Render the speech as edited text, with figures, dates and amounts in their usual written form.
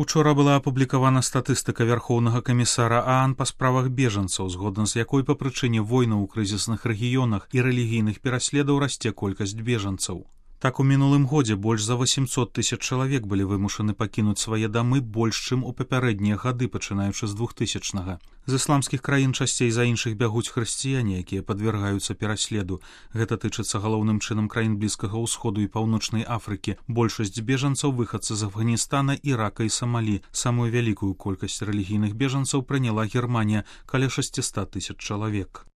Учора была апублікавана статыстыка Вярхоўнага камісара ААН па справах бежанцаў, згодна з якой па прычыне войнаў у крызісных рэгіёнах і рэлігійных пераследаў расце колькасць бежанцаў. Так, у мінулым годзе больш за 800 тысяч чалавек былі вымушаны пакінуць свае дамы больш, чым у папярэднія гады, пачынаючы з 2000-га. З ісламскіх краін часцей за іншых бягуць хрысціяне, якія падвяргаюцца пераследу. Гэта тычыцца галоўным чынам краін Блізкага ўсходу і Паўночнай Афрыкі. Большасць бежанцаў выхадцы з Афганістана, Ірака і Самалі. Самую вялікую колькасць рэлігійных бежанцаў прыняла Германія, каля 600 тысяч чалавек.